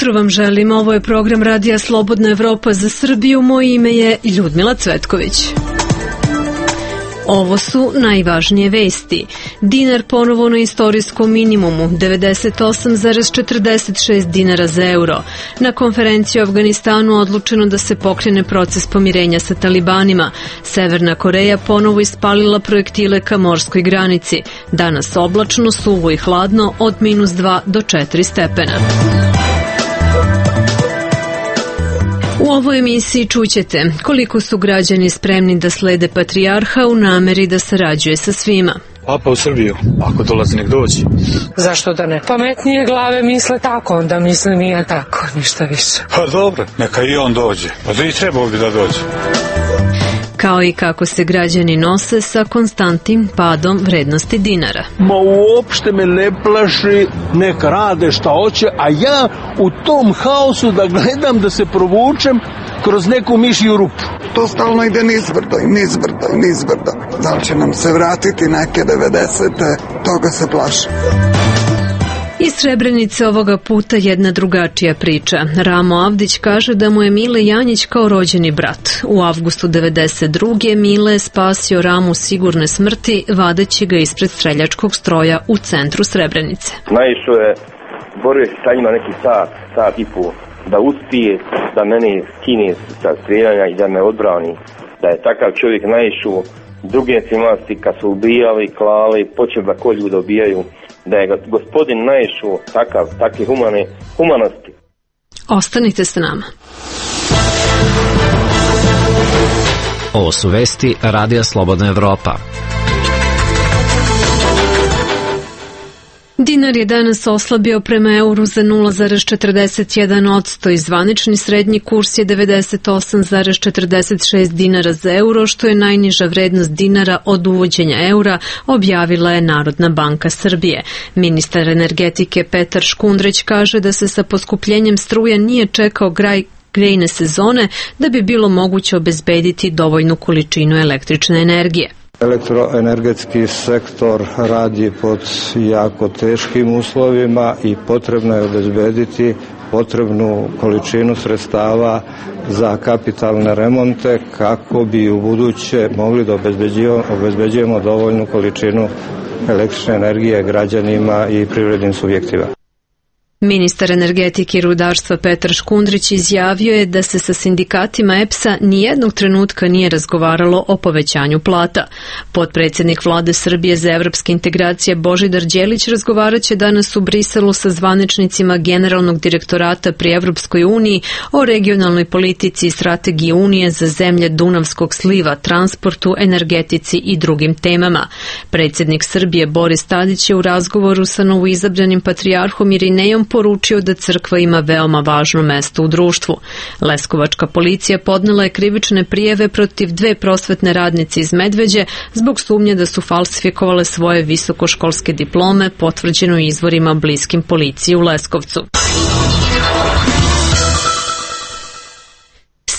jutro vam želim, ovo je program Radija Slobodna Evropa za Srbiju, moje ime je Ljudmila Cvetković. Ovo su najvažnije vesti. Dinar ponovo na istorijskom minimumu, 98,46 dinara za euro. Na konferenciji u Afganistanu odlučeno da se pokrene proces pomirenja sa talibanima. Severna Koreja ponovo ispalila projektile ka morskoj granici. Danas oblačno, suvo i hladno od -2 do 4 stepena. U ovoj emisiji čućete koliko su građani spremni da slede patrijarha u nameri da sarađuje sa svima. Papa u Srbiju, ako dolazi nek dođi. Zašto da ne? Pametnije glave misle tako, onda mislim i ja tako, ništa više. Pa dobro, neka i on dođe. Pa da i trebao bi da dođe. Kao i kako se građani nose sa konstantnim padom vrednosti dinara. Ma uopšte me ne plaši, neka rade šta hoće, a ja u tom haosu da gledam da se provučem kroz neku mišju rupu. To stalno ide nizbrdo i nizbrdo i nizbrdo. Da li će nam se vratiti neke 90. Toga se plašim. Iz Srebrenice ovoga puta jedna drugačija priča. Ramo Avdić kaže da mu je Mile Janjić kao rođeni brat. U avgustu 92. Mile je spasio Ramu sigurne smrti, vadeći ga ispred streljačkog stroja u centru Srebrenice. Naišao je, borio se sa njima neki sat i pol, da uspije da mene skine sa streljanja i da me odbrani. Da je takav čovjek naišao druge nacionalnosti kad su ubijali, klali, počeli da ko ljude ubijaju, da je gospodin naišao takve humanosti. Ostanite sa nama. Ovo su vesti Radija Slobodna Evropa. Dinar je danas oslabio prema euru za 0,41% i zvanični srednji kurs je 98,46 dinara za euro, što je najniža vrednost dinara od uvođenja eura, objavila je Narodna banka Srbije. Ministar energetike Petar Škundrić kaže da se sa poskupljenjem struje nije čekao kraj grejne sezone da bi bilo moguće obezbediti dovoljnu količinu električne energije. Elektroenergetski sektor radi pod jako teškim uslovima i potrebno je obezbediti potrebnu količinu sredstava za kapitalne remonte kako bi u buduće mogli da obezbeđujemo dovoljnu količinu električne energije građanima i privrednim subjektima. Ministar energetike i rudarstva Petar Škundrić izjavio je da se sa sindikatima EPS-a nijednog trenutka nije razgovaralo o povećanju plata. Potpredsjednik Vlade Srbije za evropske integracije Božidar Đelić razgovaraće danas u Briselu sa zvaničnicima Generalnog direktorata pri Evropskoj uniji o regionalnoj politici i strategiji Unije za zemlje Dunavskog sliva, transportu, energetici i drugim temama. Predsjednik Srbije Boris Tadić je u razgovoru sa novoizabranim patrijarhom Irinejom poručio da crkva ima veoma važno mesto u društvu. Leskovačka policija podnela je krivične prijave protiv 2 prosvetne radnice iz Medveđe zbog sumnje da su falsifikovale svoje visokoškolske diplome, potvrđeno izvorima bliskim policiji u Leskovcu.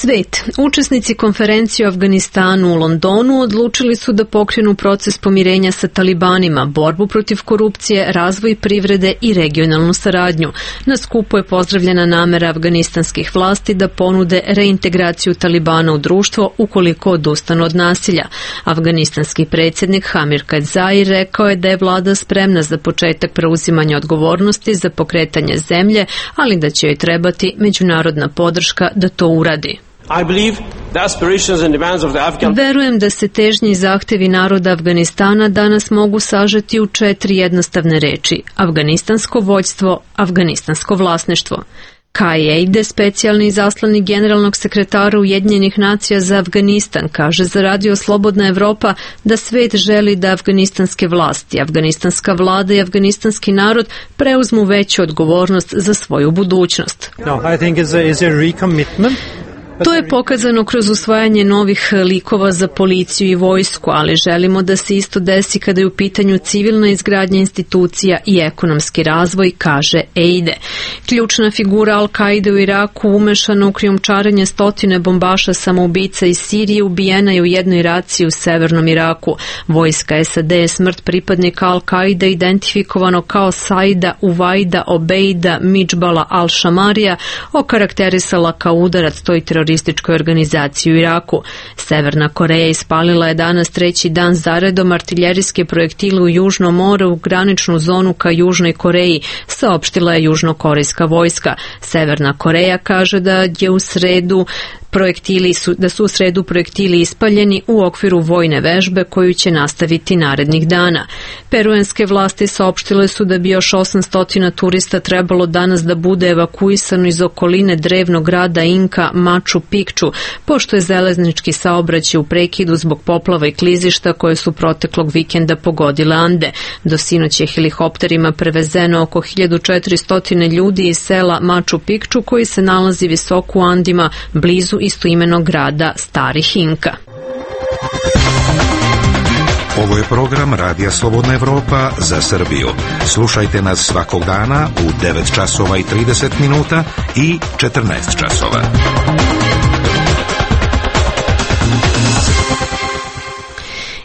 Svet. Učesnici konferencije u Afganistanu u Londonu odlučili su da pokrenu proces pomirenja sa talibanima, borbu protiv korupcije, razvoj privrede i regionalnu saradnju. Na skupu je pozdravljena namera afganistanskih vlasti da ponude reintegraciju talibana u društvo ukoliko odustanu od nasilja. Afganistanski predsjednik Hamir Karzai rekao je da je vlada spremna za početak preuzimanja odgovornosti za pokretanje zemlje, ali da će joj trebati međunarodna podrška da to uradi. Verujem da se težnje i zahtevi naroda Afganistana danas mogu sažeti u 4 jednostavne reči. Afganistansko vođstvo, afganistansko vlasništvo. Kai Eide, specijalni izaslanik generalnog sekretara Ujedinjenih nacija za Afganistan, kaže za Radio Slobodna Evropa da svet želi da afganistanske vlasti, afganistanska vlada i afganistanski narod preuzmu veću odgovornost za svoju budućnost. To je pokazano kroz usvajanje novih likova za policiju i vojsku, ali želimo da se isto desi kada je u pitanju civilna izgradnja institucija i ekonomski razvoj, kaže Eide. Ključna figura Al-Kaide u Iraku umešana u krijumčarenje stotine bombaša samoubica iz Sirije ubijena je u jednoj raciji u severnom Iraku. Vojska SAD je smrt pripadnika Al-Kaide identifikovano kao Saida Uvaida Obeida Midžbala Al-Šamarija okarakterisala kao udarac toj terorističkoj organizaciji u Iraku. Severna Koreja ispalila je danas treći dan zaredom artiljerijske projektile u Južnom moru u graničnu zonu ka Južnoj Koreji, saopštila je južnokorejska vojska. Severna Koreja kaže da su u sredu projektili ispaljeni u okviru vojne vežbe koju će nastaviti narednih dana. Peruanske vlasti saopštile su da bi još 800 turista trebalo danas da bude evakuisano iz okoline drevnog grada Inka Machu Picchu, pošto je železnički saobraćaj u prekidu zbog poplava i klizišta koje su proteklog vikenda pogodile Ande. Do sinoć je helikopterima prevezeno oko 1400 ljudi iz sela Machu Picchu koji se nalazi visoko u Andima blizu istoimenog grada Starih Inka. Ovo je program Radija Slobodna Evropa za Srbiju. Slušajte nas svakog dana u 9 časova i 30 minuta i 14 časova.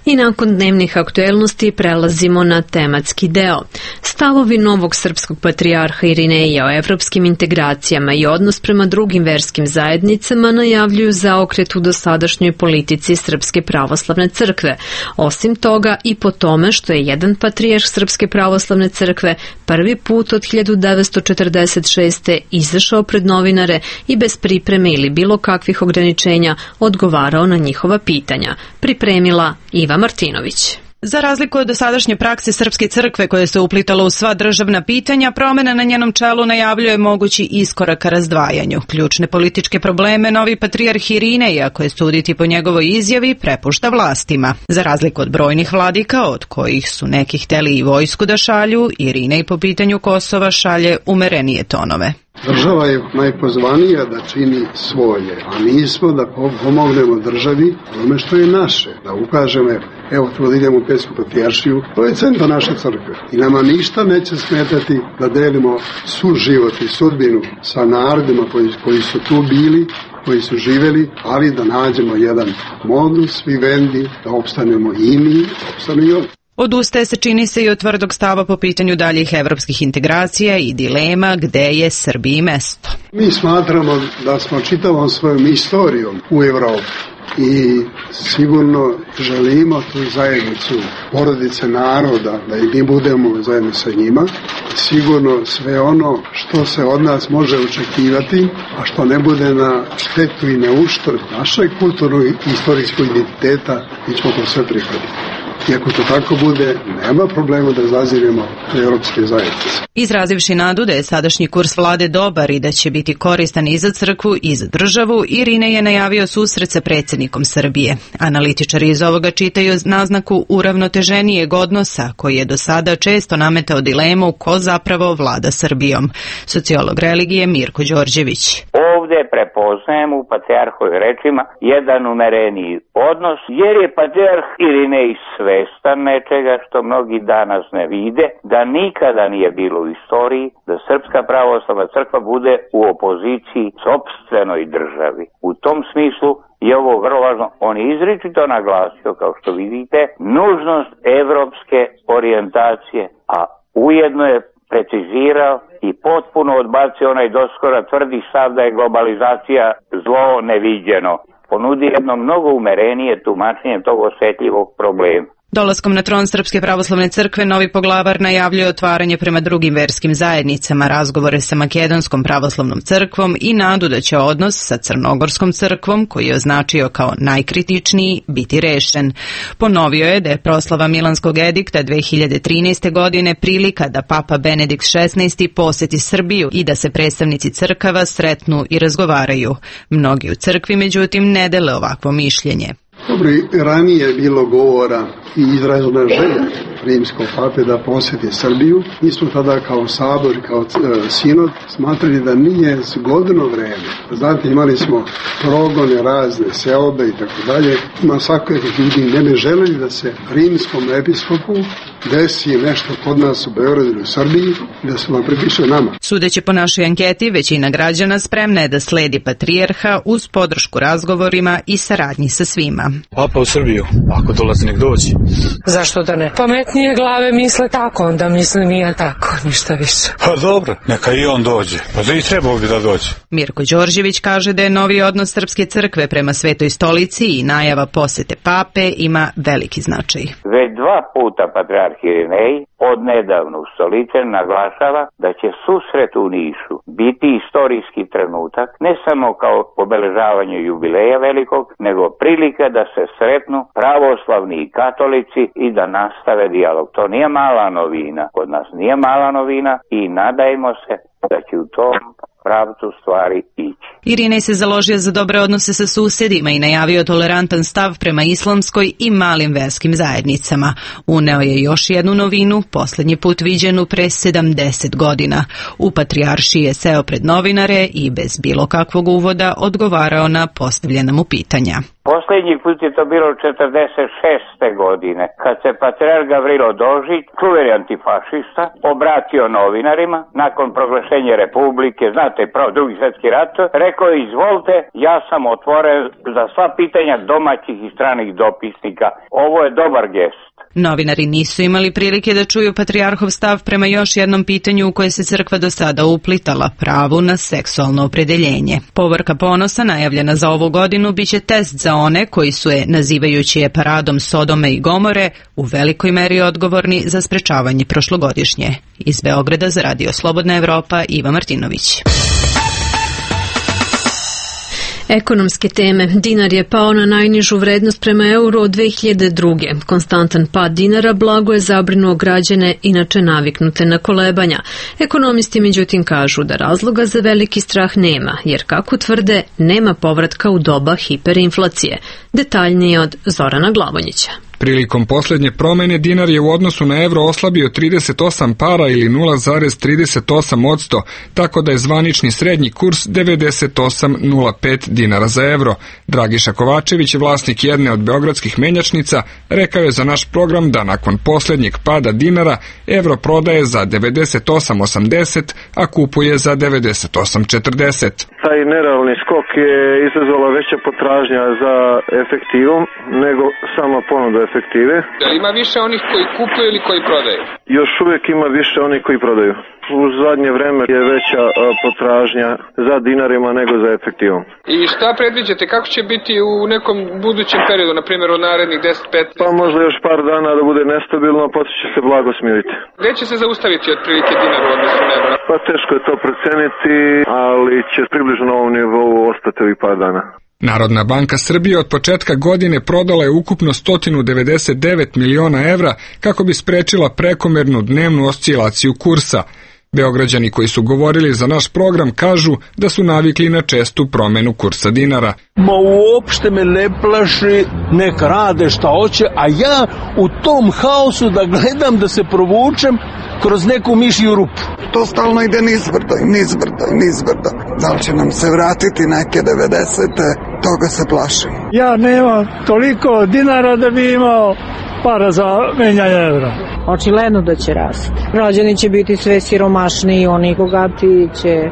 I nakon dnevnih aktuelnosti prelazimo na tematski deo. Stavovi novog srpskog patrijarha Irineja o evropskim integracijama i odnos prema drugim verskim zajednicama najavljuju zaokret u dosadašnjoj politici Srpske pravoslavne crkve. Osim toga i po tome što je jedan patrijarh Srpske pravoslavne crkve prvi put od 1946. izašao pred novinare i bez pripreme ili bilo kakvih ograničenja odgovarao na njihova pitanja. Pripremila Iva Martinović. Za razliku od dosadašnje prakse Srpske crkve koje se uplitalo u sva državna pitanja, promjena na njenom čelu najavljuje mogući iskorak ka razdvajanju. Ključne političke probleme novi patrijarh Irinej, ako je suditi po njegovoj izjavi, prepušta vlastima. Za razliku od brojnih vladika, od kojih su neki hteli i vojsku da šalju, Irinej po pitanju Kosova šalje umerenije tonove. Država je najpozvanija da čini svoje, a mi smo da pomognemo državi onome što je naše, da ukažemo, evo tu da idemo u Pećku patrijaršiju, to je centar naše crkve i nama ništa neće smetati da delimo suživot i sudbinu sa narodima koji su tu bili, koji su živeli, ali da nađemo jedan modus vivendi, da opstanemo i mi, da opstane i oni. Odustaje se, čini se, i od tvrdog stava po pitanju daljih evropskih integracija i dilema gde je Srbiji mesto. Mi smatramo da smo čitavom svojom istorijom u Evropi i sigurno želimo tu zajednicu porodice naroda, da i mi budemo zajedno sa njima. Sigurno sve ono što se od nas može očekivati, a što ne bude na štetu i na uštrb našeg kulturnog i istorijskog identiteta, mi ćemo to sve prihvatiti. I ako to tako bude, nema problema da zaziremo u evropske zajednice. Izrazivši nadu da je sadašnji kurs vlade dobar i da će biti koristan i za crkvu i za državu, Irinej je najavio susret sa predsjednikom Srbije. Analitičari iz ovoga čitaju naznaku uravnoteženijeg odnosa, koji je do sada često nametao dilemu ko zapravo vlada Srbijom. Sociolog religije Mirko Đorđević. Ovdje prepoznajem u patrijarhovim rečima jedan umereniji odnos, jer je patrijarh Irinej svestan nečega što mnogi danas ne vide, da nikada nije bilo u istoriji da Srpska pravoslavna crkva bude u opoziciji sopstvenoj državi. U tom smislu je ovo vrlo važno. On je izričito naglasio, kao što vidite, nužnost evropske orijentacije, a ujedno je precizirao i potpuno odbacio onaj doskora tvrdi stav da je globalizacija zlo neviđeno. Ponudi jedno mnogo umerenije tumačenje tog osjetljivog problema. Dolaskom na tron Srpske pravoslavne crkve novi poglavar najavljuje otvaranje prema drugim verskim zajednicama, razgovore sa Makedonskom pravoslavnom crkvom i nadu da će odnos sa Crnogorskom crkvom, koji je označio kao najkritičniji, biti rešen. Ponovio je da je proslava Milanskog edikta 2013. godine prilika da Papa Benedikt XVI. Poseti Srbiju i da se predstavnici crkava sretnu i razgovaraju. Mnogi u crkvi, međutim, ne dele ovakvo mišljenje. Dobro, i ranije je bilo govora i izražena želja rimskog pape da posjeti Srbiju. Mi smo tada kao sabor, kao sinod smatrali da nije zgodno vreme. Znate, imali smo progone razne, seobe i tako dalje. Ima svakakvih ljudi ne bi želeli da se rimskom episkopu desi nešto kod nas u Beogradu ili u Srbiji i da se vam pripiše nama. Sudeći po našoj anketi, većina građana spremna je da sledi patrijarha uz podršku razgovorima i saradnji sa svima. Papa u Srbiju, ako dolazi nek dođi. Zašto da ne? Pametnije glave misle tako, onda misle nije tako, ništa više. Pa dobro, neka i on dođe. Pa i trebao bi da dođe. Mirko Đorđević kaže da je novi odnos Srpske crkve prema Svetoj stolici i najava posete pape ima veliki značaj. Već 2 puta patrijarh Irinej odnedavno ustoličen naglašava da će susret u Nišu biti istorijski trenutak, ne samo kao obeležavanje jubileja velikog, nego prilika da se sretnu pravoslavni i katolici i da nastave dijalog. To nije mala novina, kod nas nije mala novina i nadajmo se da će u tom pravcu stvari ići. Irinej se založio za dobre odnose sa susedima i najavio tolerantan stav prema islamskoj i malim verskim zajednicama. Uneo je još jednu novinu, posljednji put viđenu pre 70 godina. U patrijaršiji je seo pred novinare i bez bilo kakvog uvoda odgovarao na postavljena mu pitanja. Posljednji put je to bilo 46. godine, kad se patrijarh Gavrilo Dožić, čuveni antifašista, obratio novinarima nakon proglašenja Republike, znate, Drugi svjetski rat, rekao je: izvolite, ja sam otvoren za sva pitanja domaćih i stranih dopisnika. Ovo je dobar gest. Novinari nisu imali prilike da čuju patrijarhov stav prema još jednom pitanju u koje se crkva do sada uplitala, pravu na seksualno opredeljenje. Povorka ponosa najavljena za ovu godinu biće test za one koji su je, nazivajući je paradom Sodome i Gomore, u velikoj meri odgovorni za sprečavanje prošlogodišnje. Iz Beograda za Radio Slobodna Evropa, Iva Martinović. Ekonomske teme. Dinar je pao na najnižu vrednost prema euru od 2002. Konstantan pad dinara blago je zabrinuo građane inače naviknute na kolebanja. Ekonomisti međutim kažu da razloga za veliki strah nema, jer kako tvrde, nema povratka u doba hiperinflacije. Detaljnije od Zorana Glavonjića. Prilikom posljednje promjene dinar je u odnosu na evro oslabio 38 para ili 0,38%, tako da je zvanični srednji kurs 98,05 dinara za evro. Dragiša Kovačević, vlasnik jedne od beogradskih menjačnica, rekao je za naš program da nakon posljednjeg pada dinara evro prodaje za 98,80, a kupuje za 98,40. Taj nerealni skok je izazvala veća potražnja za efektivom nego sama ponuda efektive. Da ima više onih koji kupuju ili koji prodaju? Još uvijek ima više onih koji prodaju. U zadnje vreme je veća potražnja za dinarima nego za efektivom. I šta predviđate, kako će biti u nekom budućem periodu, na primjer od narednih 10-15? Pa možda još par dana da bude nestabilno, potom će se blago smiriti. Gde će se zaustaviti otprilike dinar u odnosu na evro? Pa teško je to proceniti, ali će približno na ovom nivou ostati ovih par dana. Narodna banka Srbije od početka godine prodala je ukupno 199 miliona evra kako bi sprečila prekomernu dnevnu oscilaciju kursa. Beograđani koji su govorili za naš program kažu da su navikli na čestu promjenu kursa dinara. Ma uopšte me ne plaši, nek rade šta hoće, a ja u tom haosu da gledam da se provučem kroz neku mišju rupu. To stalno ide nizbrdo i nizbrdo i nizbrdo. Da li će nam se vratiti neke 90. Toga se plašim. Ja nemam toliko dinara da bi imao para za menjanje evra. Očigledno da će rasti. Građani će biti sve siromašniji, oni bogati će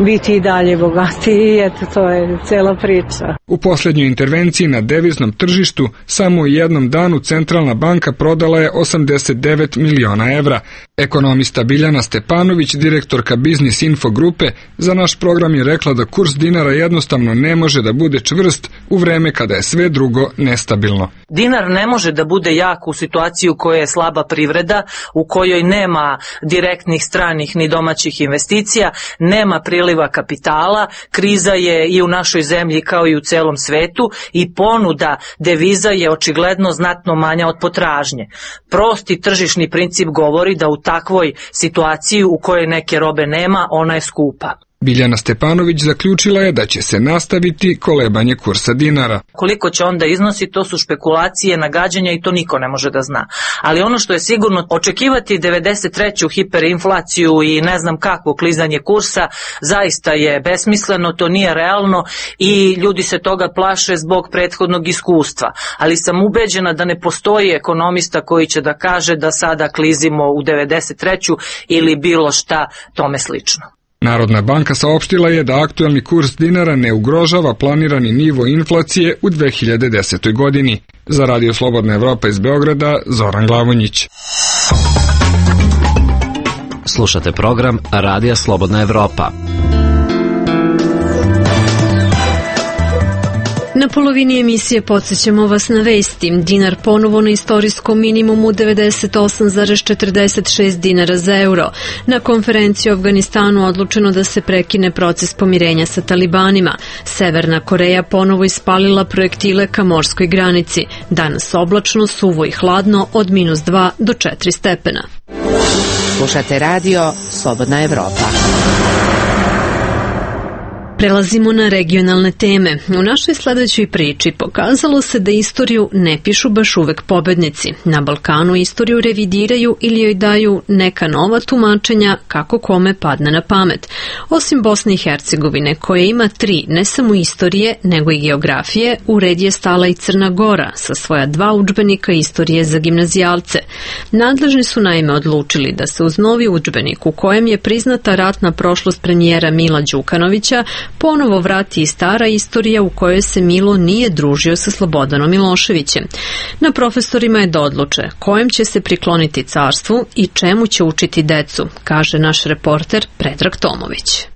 biti i dalje bogati i eto, to je cela priča. U posljednjoj intervenciji na deviznom tržištu samo u jednom danu Centralna banka prodala je 89 miliona evra. Ekonomista Biljana Stepanović, direktorka Biznis Info grupe, za naš program je rekla da kurs dinara jednostavno ne može da bude čvrst u vreme kada je sve drugo nestabilno. Dinar ne može da bude jak u situaciji u kojoj je slaba privreda, u kojoj nema direktnih stranih ni domaćih investicija, nema priliva kapitala, kriza je i u našoj zemlji kao i u celom svetu i ponuda deviza je očigledno znatno manja od potražnje. Prosti tržišni princip govori da u takvoj situaciji u kojoj neke robe nema, ona je skupa. Biljana Stepanović zaključila je da će se nastaviti kolebanje kursa dinara. Koliko će onda iznosi, to su špekulacije, nagađanja i to niko ne može da zna. Ali ono što je sigurno, očekivati 93. hiperinflaciju i ne znam kakvo klizanje kursa zaista je besmisleno, to nije realno i ljudi se toga plaše zbog prethodnog iskustva. Ali sam ubeđena da ne postoji ekonomista koji će da kaže da sada klizimo u 93. ili bilo šta tome slično. Narodna banka saopštila je da aktuelni kurs dinara ne ugrožava planirani nivo inflacije u 2010. godini. Za Radio Slobodna Evropa iz Beograda, Zoran Glavonjić. Slušate program Radija Slobodna Evropa. Na polovini emisije podsjećamo vas na vesti. Dinar ponovo na istorijskom minimumu 98,46 dinara za euro. Na konferenciji u Afganistanu odlučeno da se prekine proces pomirenja sa talibanima. Severna Koreja ponovo ispalila projektile ka morskoj granici. Danas oblačno, suvo i hladno od -2 do 4 stepena. Slušate radio Slobodna Evropa. Prelazimo na regionalne teme. U našoj sledećoj priči pokazalo se da istoriju ne pišu baš uvek pobednici. Na Balkanu istoriju revidiraju ili joj daju neka nova tumačenja kako kome padne na pamet. Osim Bosne i Hercegovine, koja ima 3 ne samo istorije, nego i geografije, u red je stala i Crna Gora sa svoja 2 udžbenika istorije za gimnazijalce. Nadležni su naime odlučili da se uz novi udžbenik u kojem je priznata ratna prošlost premijera Mila Đukanovića ponovo vrati i stara istorija u kojoj se Milo nije družio sa Slobodanom Miloševićem. Na profesorima je da odluče kojem će se prikloniti carstvu i čemu će učiti decu, kaže naš reporter Predrag Tomović.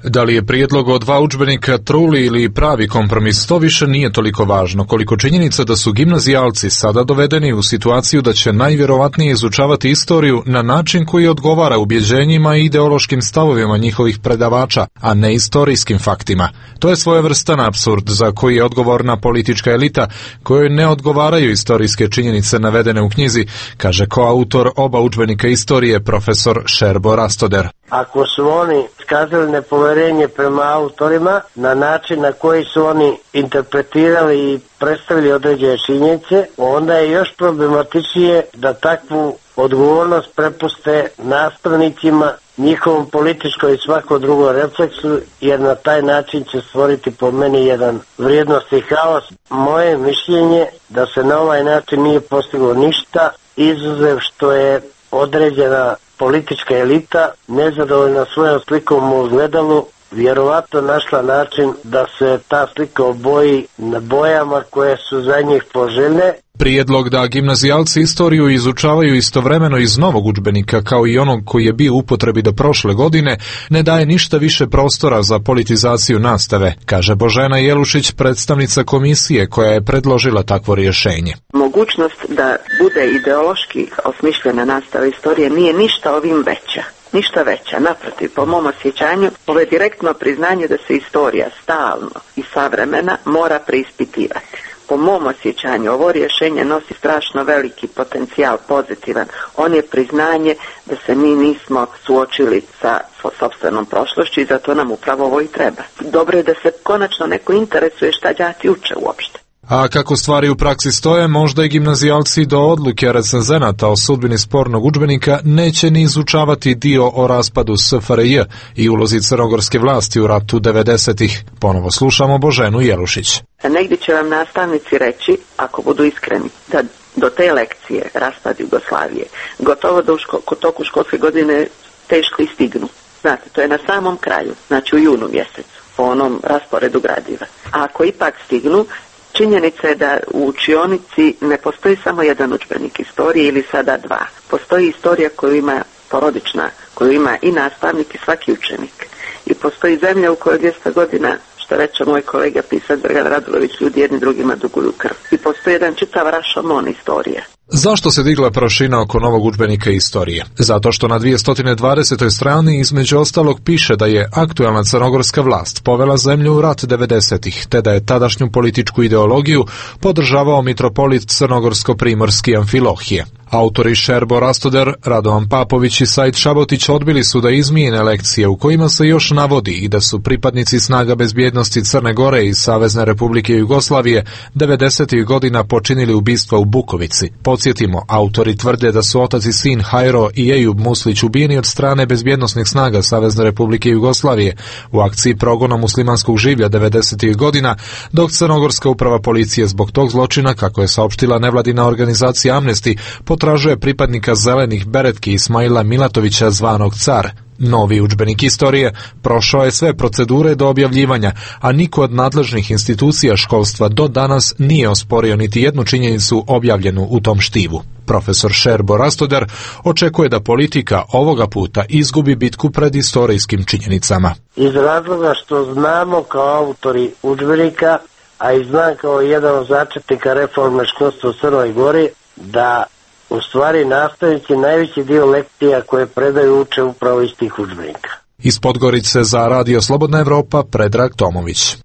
Da li je prijedlog o 2 udžbenika truli ili pravi kompromis, to više nije toliko važno, koliko činjenica da su gimnazijalci sada dovedeni u situaciju da će najvjerovatnije izučavati istoriju na način koji odgovara ubjeđenjima i ideološkim stavovima njihovih predavača, a ne istorijskim faktima. To je svojevrstan apsurd za koji je odgovorna politička elita kojoj ne odgovaraju istorijske činjenice navedene u knjizi, kaže koautor oba udžbenika istorije profesor Šerbo Rastoder. Ako su oni iskazali nepoverenje prema autorima na način na koji su oni interpretirali i predstavili određene činjenice, onda je još problematičnije da takvu odgovornost prepuste nastavnicima, njihovom političkom i svakom drugom refleksu, jer na taj način će stvoriti po meni jedan vrijednosni haos. Moje mišljenje da se na ovaj način nije postiglo ništa, izuzev što je određena politička elita, nezadovoljna svojom slikom u ogledalu, vjerovatno našla način da se ta slika oboji na bojama koje su za njih poželjne. Prijedlog da gimnazijalci istoriju izučavaju istovremeno iz novog udžbenika kao i onog koji je bio u upotrebi do prošle godine ne daje ništa više prostora za politizaciju nastave, kaže Božena Jelušić, predstavnica komisije koja je predložila takvo rješenje. Mogućnost da bude ideološki osmišljena nastava istorije nije ništa ovim veća. Ništa veća, naprotiv, po mom osjećanju, ovo je direktno priznanje da se istorija stalno i savremena mora preispitivati. Po mom osjećanju, ovo rješenje nosi strašno veliki potencijal pozitivan. On je priznanje da se mi nismo suočili sa sopstvenom prošlošću i zato nam upravo ovo i treba. Dobro je da se konačno neko interesuje šta đaci uče uopšte. A kako stvari u praksi stoje, možda i gimnazijalci do odluke recenzenata o sudbini spornog udžbenika neće ni izučavati dio o raspadu SFRJ i ulozi crnogorske vlasti u ratu 90-ih. Ponovo slušamo Boženu Jelušić. Negdje će vam nastavnici reći, ako budu iskreni, da do te lekcije raspad Jugoslavije gotovo da u toku školske godine teško i stignu. Znate, to je na samom kraju, znači u junu mjesecu, po onom rasporedu gradiva. A ako ipak stignu, činjenica je da u učionici ne postoji samo jedan udžbenik istorije ili sada 2. Postoji istorija koju ima porodična, koju ima i nastavnik i svaki učenik. I postoji zemlja u kojoj 200 godina, što reče moj kolega pisac Dragan Radulović, ljudi jedni drugima duguju krv. I postoji jedan čitav rašomon istorije. Zašto se digla prašina oko novog udžbenika istorije? Zato što na 220. strani između ostalog piše da je aktuelna crnogorska vlast povela zemlju u rat 90-ih, te da je tadašnju političku ideologiju podržavao mitropolit crnogorsko-primorski Amfilohije. Autori Šerbo Rastoder, Radovan Papović i Said Šabotić odbili su da izmijene lekcije u kojima se još navodi i da su pripadnici snaga bezbjednosti Crne Gore i Savezne Republike Jugoslavije 90. godina počinili ubistva u Bukovici. Podsjetimo, autori tvrde da su otac i sin Hajro i Ejub Muslić ubijeni od strane bezbjednosnih snaga Savezne Republike Jugoslavije u akciji progona muslimanskog življa 90. godina, dok crnogorska uprava policije zbog tog zločina, kako je saopštila nevladina organizacija Amnesty, potražuje pripadnika zelenih beretki Ismaila Milatovića zvanog Car. Novi udžbenik istorije prošao je sve procedure do objavljivanja, a niko od nadležnih institucija školstva do danas nije osporio niti jednu činjenicu objavljenu u tom štivu. Profesor Šerbo Rastoder očekuje da politika ovoga puta izgubi bitku pred istorijskim činjenicama. Iz razloga što znamo kao autori udžbenika, a i znam kao jedan od začetnika reforme školstva u Crnoj Gori, da u stvari nastavnici najveći dio lekcija koje predaju uče upravo iz tih udžbenika. Iz Podgorice za Radio Slobodna Evropa, Predrag Tomović.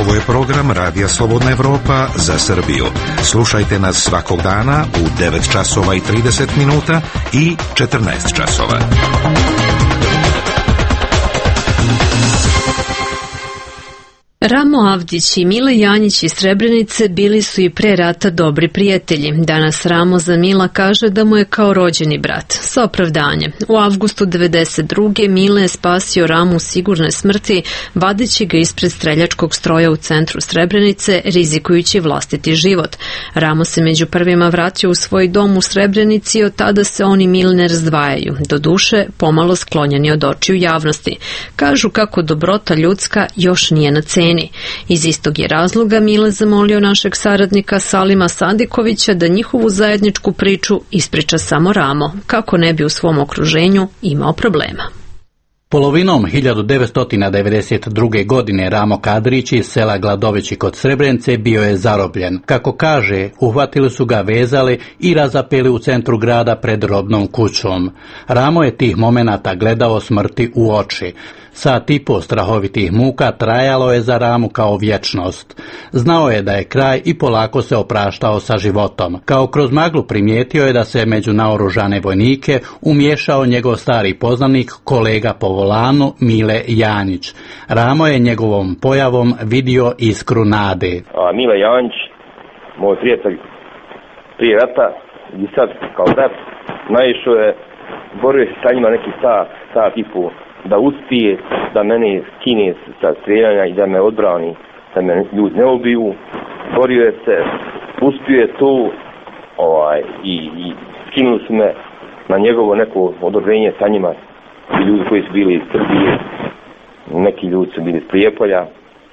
Ovo je program Radija Slobodna Evropa za Srbiju. Slušajte nas svakog dana u 9 časova i 30 minuta i 14 časova. Ramo Avdić i Mile Janjić iz Srebrenice bili su i pre rata dobri prijatelji. Danas Ramo za Mila kaže da mu je kao rođeni brat. Sa opravdanjem. U avgustu 1992. Mile je spasio Ramu sigurne smrti, vadeći ga ispred streljačkog stroja u centru Srebrenice, rizikujući vlastiti život. Ramo se među prvima vratio u svoj dom u Srebrenici i od tada se on i Mile ne razdvajaju. Doduše, pomalo sklonjeni od očiju javnosti. Kažu kako dobrota ljudska još nije na ceni. Iz istog je razloga Mile zamolio našeg saradnika Salima Sadikovića da njihovu zajedničku priču ispriča samo Ramo, kako ne bi u svom okruženju imao problema. Polovinom 1992. godine Ramo Kadrić iz sela Gladovići kod Srebrenice bio je zarobljen. Kako kaže, uhvatili su ga, vezali i razapeli u centru grada pred robnom kućom. Ramo je tih momenata gledao smrti u oči. Sat i po strahovitih muka trajalo je za Ramu kao vječnost. Znao je da je kraj i polako se opraštao sa životom. Kao kroz maglu primijetio je da se među naoružane vojnike umiješao njegov stari poznanik, kolega po volanu Mile Janjić. Ramo je njegovom pojavom vidio iskru nade. Mile Janjić, moj prijatelj prije rata i sad kao brat, naišao je, borio se sa njima neki sat i pol, da uspije da mene skine sa streljanja i da me odbrani, da me ljudi ne ubiju. Borio je se, uspio je to i skinuli su me na njegovo neko odobrenje sa njima. I ljudi koji su bili iz Srbije, neki ljudi su bili iz Prijepolja,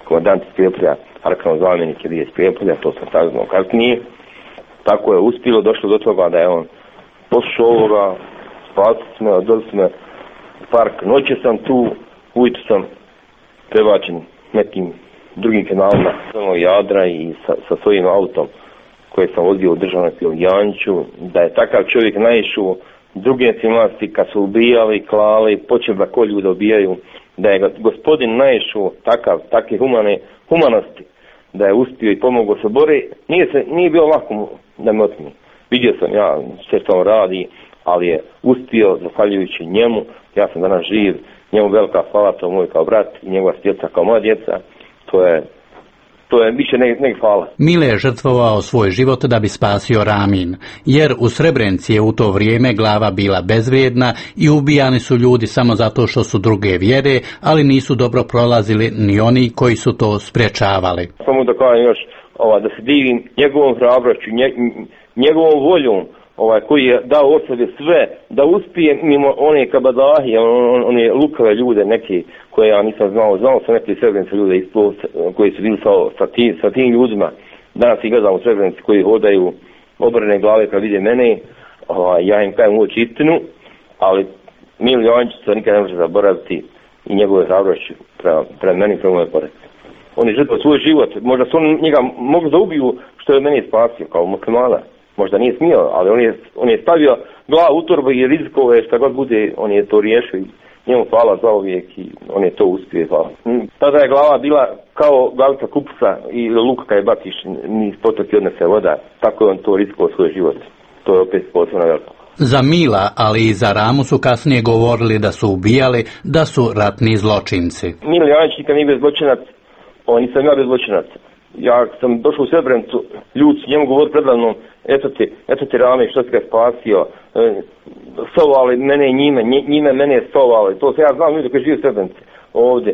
komandant iz Prijepolja, Arkanov zamjenik je bio iz Prijepolja, to sam saznao kasnije. Tako je uspilo, došlo do toga da je on poslušao ovoga, spasili smo, odveli smo park, noće sam tu, ujutro sam prebačen nekim drugim kanalima Jadra i sa svojim autom koje sam vozio u državnom Janjiću, da je takav čovjek naišao druge nacionalnosti kad su ubijali, klali, počeli da ko ljude ubijaju, da je gospodin naišao takve humanosti, da je uspio i pomogao se bori, nije bilo lako da me otmi. Vidio sam ja sve što on radi, ali je uspio, zahvaljujući njemu, ja sam danas živ, njemu velika hvala, to moj kao brat i njegova djeca kao moja djeca, to je više nego hvala. Mile je žrtvovao svoj život da bi spasio Ramin, jer u Srebrenici je u to vrijeme glava bila bezvrijedna i ubijani su ljudi samo zato što su druge vjere, ali nisu dobro prolazili ni oni koji su to sprječavali. Samo da kažem još, da se divim njegovom hrabrošću, njegovom voljom, koji je dao od sebe sve, da uspije mimo one kabadahije, one lukave ljude neke koje ja nisam znao sam neke Srebrenice ljude koji su bili sa tim ljudima. Danas ih gledam u Srebrenici koji hodaju obrane glave kad vide mene, ja im kajem uoči istinu, ali Mile Janjić se nikad ne može zaboraviti i njegove hrabrošću prema meni, prema moje porodice. On je žrtvovao svoj život. Možda su oni njega mogli da ubiju što je mene spasio kao muslimana. Možda nije smio, ali on je stavio glavu u torbu i rizikove šta god bude, on je to riješio i njemu hvala za uvijek i on je to uspio. Hvala. Tada je glava bila kao glavica kupca i luka kad je baciš niz potoki odnese voda. Tako je on to rizikovao svoj život. To je opet posebno veliko. Za Mila, ali i za Ramu su kasnije govorili da su ubijali, da su ratni zločinci. Milo Janić nikad nije bio zločinac, nisam ja bio zločinac. Ja sam došao u Srebrenicu, ljudi su njemu govorili predavnom, eto ti Rame, što si ga spasio, sovali mene i njime mene sovali, to se ja znam ljudi koji žive u Srebrenici ovdje,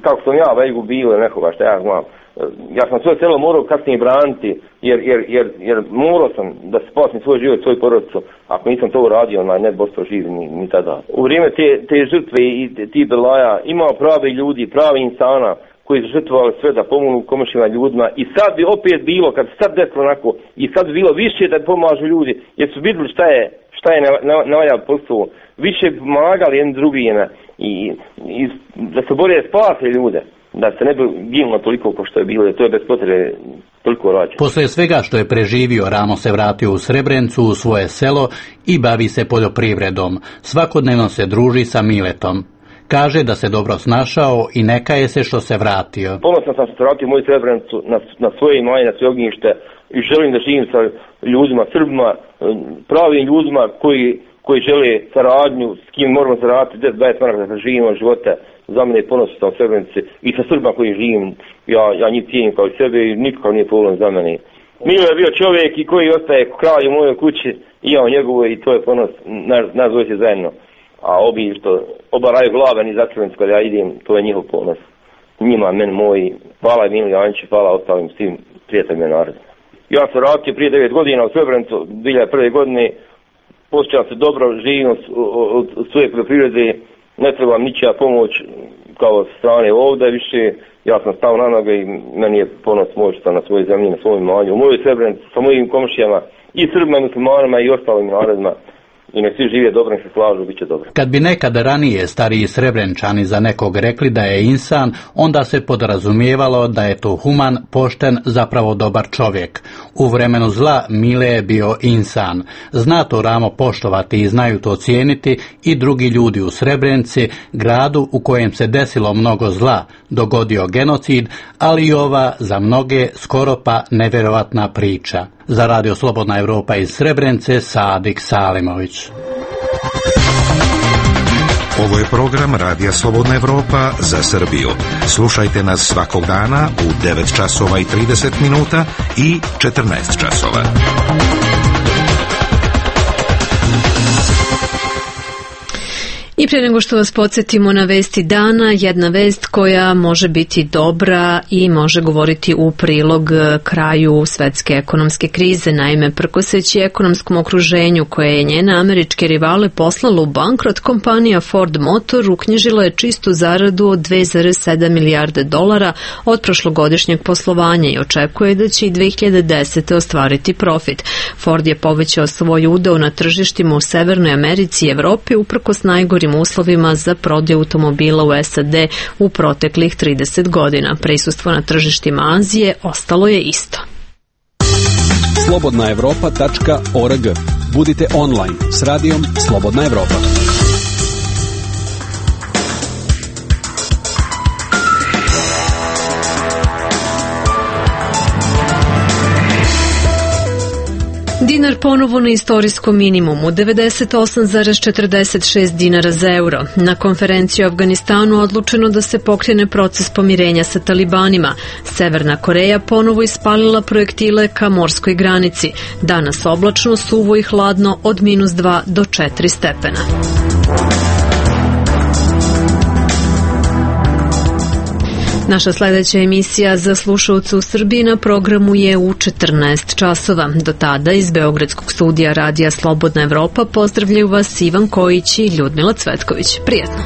kako sam ja već gubio nekoga, što ja znam. Ja sam svoje selo morao kasnije braniti, jer morao sam da spasim svoj život, svoju porodicu, ako nisam to uradio, ne bi ostao živ ni tada. U vrijeme te žrtve i ti belaja imao pravi ljudi, pravi insana, koji su žrtvovali sve da pomognu komšijama ljudima i sad bi opet bilo, kad sad desilo onako, i sad bi bilo više da pomažu ljudi, jer su vidjeli šta je na ovaj posao, više pomagali jedni drugima i da se bolje spase ljude, da se ne bi ginulo toliko kao što je bilo, to je bez potrebe toliko rađeno. Posle svega što je preživio, Ramo se vratio u Srebrenicu, u svoje selo i bavi se poljoprivredom. Svakodnevno se druži sa Miletom. Kaže da se dobro snašao i ne kaje se što se vratio. Ponosan sam što se vratio u moju Srebrenicu na svoje imanje, na svoje ognjište i želim da živim sa ljudima, Srbima, pravim ljudima koji žele saradnju, s kim moramo zaraditi 10-20 maraka da živimo života. Za mene je ponosan sam u Srebrenici i sa Srbima koji živim, ja njih cijenim kao i sebe i nikakav nije problem za mene. Milo je bio čovjek i koji ostaje kralj u mojoj kući i ja u njegovoj i to je ponos, nas dvojice zajedno. A obi što obaraju glave ni začuvenicu kada ja idem, to je njihov ponos. Njima, meni moji, hvala Milo Janiću, hvala ostalim svim prijateljima naroda. Ja sam vratio prije 9 godina u Srebrenicu, 2001. godine, posjećam se dobro, živim od svoje poljoprivrede, ne trebam ničija pomoć kao strane ovdje više, ja sam stao na noge i meni je ponos moj što sam na svojoj zemlji, na svojom imanju, u mojoj Srebrenici, sa mojim komšijama i Srbima, i muslimanima i ostalim narodima. I nek svi žive dobro, nek se slažu, bit će dobro. Kad bi nekad ranije stariji Srebrenčani za nekog rekli da je insan, onda se podrazumijevalo da je to human, pošten, zapravo dobar čovjek. U vremenu zla Mile je bio insan. Zna to Ramo poštovati i znaju to cijeniti i drugi ljudi u Srebrenici, gradu u kojem se desilo mnogo zla, dogodio genocid, ali i ova za mnoge skoro pa nevjerovatna priča. Za Radio Slobodna Evropa iz Srebrenice, Sadik Salimović. Ovo je program Radija Slobodna Evropa za Srbiju. Slušajte nas svakog dana u 9 časova i 30 minuta i 14 časova. I prije nego što vas podsjetimo na vesti dana, jedna vest koja može biti dobra i može govoriti u prilog kraju svetske ekonomske krize. Naime, prkoseći ekonomskom okruženju koje je njene američke rivale poslalo u bankrot, kompanija Ford Motor uknjižila je čistu zaradu od 2,7 milijarde dolara od prošlogodišnjeg poslovanja i očekuje da će i 2010. ostvariti profit. Ford je povećao svoj udeo na tržištima u Severnoj Americi i Evropi uprkos najgorim uslovima za prodaju automobila u SAD u proteklih 30 godina. Prisustvo na tržištima Azije ostalo je isto. slobodnaevropa.org. Budite online s radijom Slobodna Evropa. Dinar ponovo na istorijskom minimumu, 98,46 dinara za euro. Na konferenciji u Afganistanu odlučeno da se pokrene proces pomirenja sa talibanima. Severna Koreja ponovo ispalila projektile ka morskoj granici. Danas oblačno, suvo i hladno od -2 do 4 stepena. Naša sljedeća emisija za slušalce u Srbiji na programu je u 14 časova. Do tada iz Beogradskog studija Radija Slobodna Evropa pozdravljaju vas Ivan Kojić i Ljudmila Cvetković. Prijetno!